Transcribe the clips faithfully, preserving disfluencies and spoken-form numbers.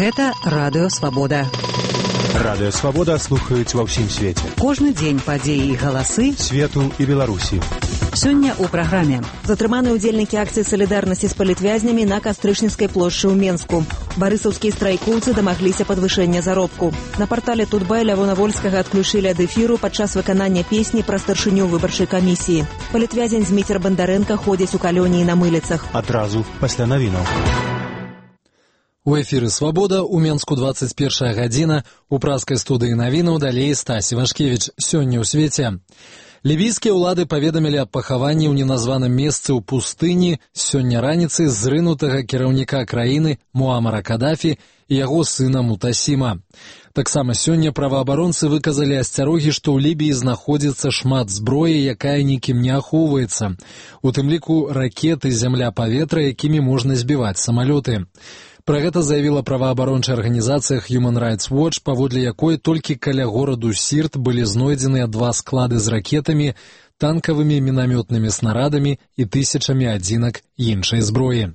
Гэта Радыё Свабода. Радыё Свабода слухаюць ва ўсім свеце. Кожны дзень падзеі і галасы свету і Беларусі. Сёння ў праграме. Затрыманы ўдзельнікі акцыі салідарнасці з палітвязнямі на Кастрычніцкай плошчы ў Менску. Барысаўскія страйкоўцы дамагліся падвышэння заробку. На партале Тутбай Лявона Вольскага адключылі ад эфіру падчас выканання песні пра старшыню выбарчай камісіі. Палітвязень Зміцер Бандарэнка ходзіць у калоніі на мыліцах. Адразу пасля навінаў. У эфіры «Свабода» у Менску двадцать первая гадзіна, у праскай студыі навінаў далей Стасі Вашкевіч. Сёння ў свеце. Лівійскія ўлады паведамілі аб пахаванні ў неназваным месцы ў пустыні сёння раніцай зрынутага кіраўніка краіны Муамара Кадафі і яго сына Мутасіма. Таксама сёння праваабаронцы выказалі асцярогі, што ў Лібіі знаходзіцца шмат зброі, якая нікім не ахоўваецца. У тым ліку ракеты зямля-паветра, якімі можна збіваць самалёты. Пра гэта заявіла праваабарончая арганізацыя Human Rights Watch, паводле якой толькі каля гораду Сірт былі знойдзеныя два склады з ракетамі, танкавымі мінамётнымі снарадамі і тысячамі адзінак іншай зброі.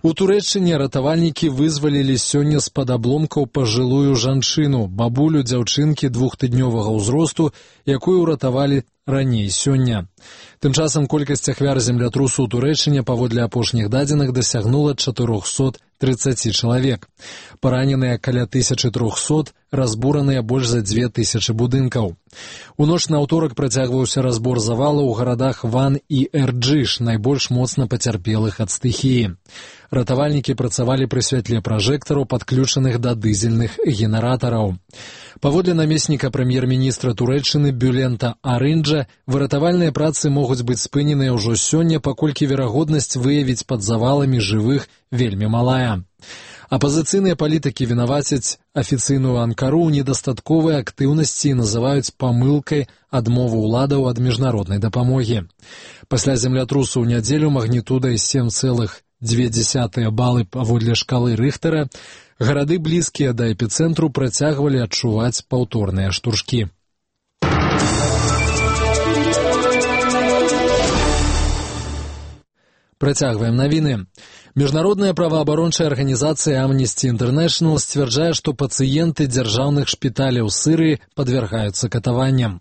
У Турэччыне ратавальнікі вызвалілі сёння з-пад абломкаў пажылую жанчыну, бабулю дзяўчынкі двухтыднёвага ўзросту, якую ўратавалі раней сёння. Тым часам колькасць ахвяр землятрусу ў Турэччыне паводле апошніх дадзеных дасягнула чатырохсот трыццаць чалавек. Параненыя каля тысячы трохсот, разбураныя больш за дзве тысячы будынкаў. У ноч на ўторак працягваўся разбор завалаў у гарадах Ван і Эрджыш, найбольш моцна пацярпелых ад стыхіі. Ратавальнікі працавалі пры святле пражэктараў, падключаных да дызельных генератараў. Паводле намесніка прэм'ер-міністра Турэччыны Бюлента Арынджа, выратавальныя працы могуць быць спыненыя ўжо сёння, паколькі верагоднасць выявіць пад заваламі жывых вельмі малая. Апазіцыйныя палітыкі вінавацяць афіцыйную Анкару ў недастатковай актыўнасці і называюць памылкай адмову ўладаў ад міжнароднай дапамогі. Пасля землятрусу ў нядзелю магнітудай сем цэлых дзве дзесятыя балы паводле шкалы Рыхтера гарады, блізкія да эпіцэнтру, працягвалі адчуваць паўторныя штуршкі. Працягваем навіны. Міжнародная праваабарончая арганізацыя Amnesty International сцвярджае, што пацыенты дзяржаўных шпіталяў Сырыі падвяргаюцца катаванням.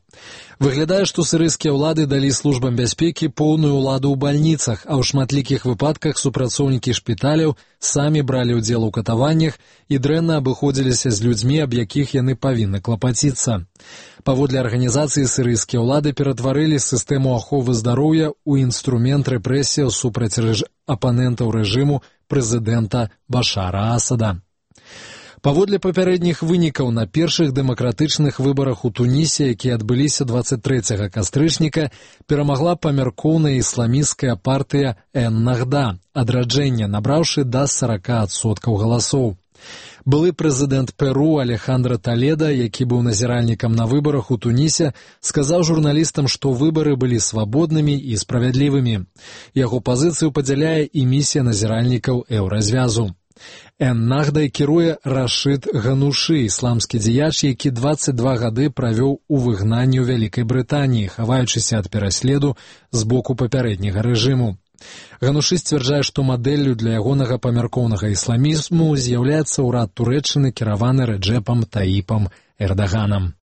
Выглядае, што сірыйскія ўлады далі службам бяспекі поўную ўладу ў бальніцах, а ў шматлікіх выпадках супрацоўнікі шпіталяў самі бралі ўдзел у катаваннях і дрэнна абыходзіліся з людзьмі, аб якіх яны павінны клапаціцца. Паводле арганізацыі сірыйскія ўлады ператварылі сістэму аховы здароўя ў інструмент рэпрэсіяў супраць рэж... апанентаў рэжыму прэзідэнта Башара Асада. Паводле папярэдніх вынікаў, на першых дэмакратычных выбарах у Тунісе, якія адбыліся двадцать трэцяга кастрычніка, перамагла памяркоўная ісламісцкая партыя Эн-Нахда, адраджэнне, набраўшы да сорок адсоткаў галасоў. Былы прэзідэнт Перу Алехандро Толедо, які быў назіральнікам на выбарах у Тунісе, сказаў журналістам, што выбары былі свабоднымі і справядлівымі. Яго пазіцыю падзяляе і місія назіральнікаў Еўразвязу. Эн-Нахдай кіруе Рашид Ганушы, ісламскі дзеяч, які двадцать два гады правёў у выгнанні ў Вялікай Брытаніі, хаваючыся ад пераследу з боку папярэдняга рэжыму. Ганушы сцвярджае, што мадэллю для ягонага памяркоўнага ісламізму з'яўляецца ўрад Турэччыны, кіраваны Рэджэпам Таіпам Эрдаганам.